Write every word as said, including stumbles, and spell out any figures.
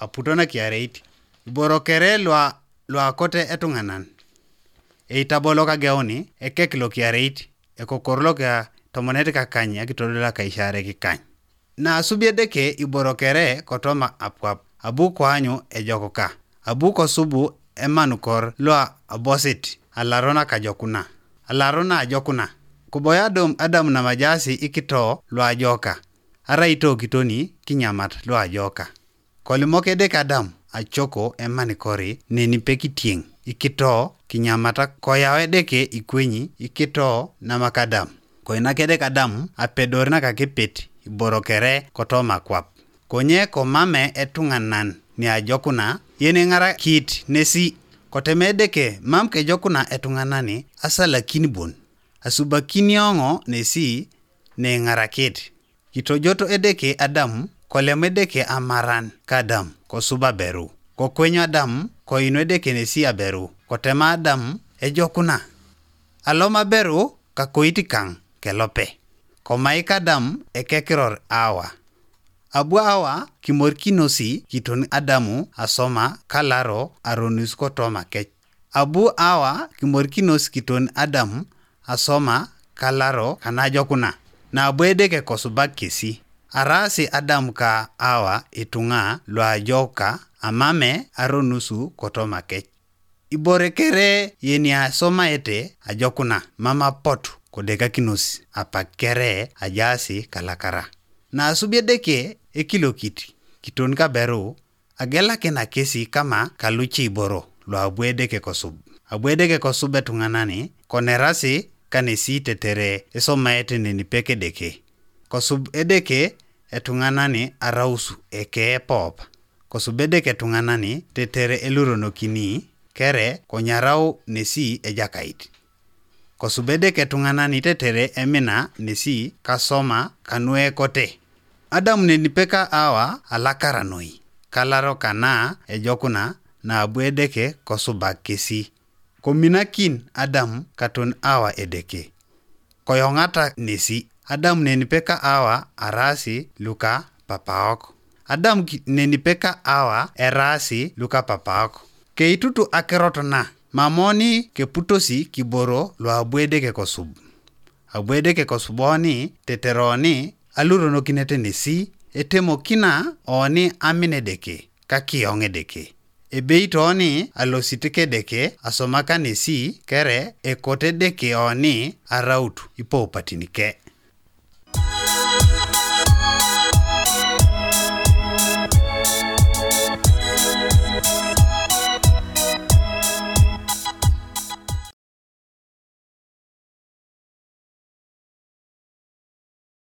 aputo nakiareit. Iboro kere lua luakote etuŋanan. Eitabolo kageuni ekek lokiareit, ekokor loka tomonet kakany akitodol akaisarek kany. Naasubi Edeke iboro kere kotoma apuap, abu koanyu ejokuka, abu kosubu emanukor lua abosit alaro nakajokuna, alaro naajokuna. Koboi Adam, Adam namajaasi ikito luajoka, arai itokitoni kinyamat luajoka. Kolimok Edeke Adam acoko emanikori neni pekitieŋ ikito kinyamata, koyau Edeke ikwenyi ikito namak Adam. Koinak Edeke Adam apedor nakakepet iboro kere kotoma akwap. Konye komame etuŋanan niajokuna yeneŋarakit nesi. Koteme Edeke mam kejokuna etuŋanani asalakin bon, asubakini oŋo nesi neiŋarakit. Kitojoto Edeke Adam, kolem Edeke amaran ka Adam, kosub aberu. Kokwenyu Adam, koinu Edeke nesi aberu, kotema Adam ejokuna. Alom aberu kakoit kaŋ kelope. Komaik Adam ekekiror Awa. Abu Awa kimorikinosi kiton Adamu asoma kalaro aronus kotoma kec. Abu Awa kimorikinos kiton Adam asoma kalaro kanajokuna, nabu Edeke kosubak kesi. Araasi Adam ka Awa ituŋa luajoka amame aronusu kotoma kec. Ibore kere yeniasomaete ajokuna mam apotu kodekakinos apak kere ajaasi kalakara. Naasubi Edeke ekilokit kiton kaberu, agelakina kesi kama kaluce iboro luabu Edeke kosub. Abu Edeke kosub etuŋanani konerasi kanesi tetere esomaete nenipek Edeke. Kosub Edeke etuŋanani arausu eke epop. Kosub Edeke etuŋanani tetere eluronokini kere konyarau nesi Ejakait. Kosub Edeke etuŋanani tetere emina nesi kasoma kanuekote. Adam nenipeka Awa alakara noi, kalaro kana ejokuna nabu Edeke kosubak kesi. Kominakin Adam katon Awa Edeke. Koyoŋata nesi. Adam nenipeka Awa araasi luka papaok. Adam ki- nenipeka Awa eraasi luka papaok. Keitutu akirot na, mamoni keputosi kiboro luabu Edeke kosub. Abu Edeke kosuboni teteroni aluronokinete nesi, etemokina oni amin Edeke, kakioŋ Edeke. Ebeit oni alosit Kedeke asomaka nesi kere ekot Edeke oni araut ipoupatinike.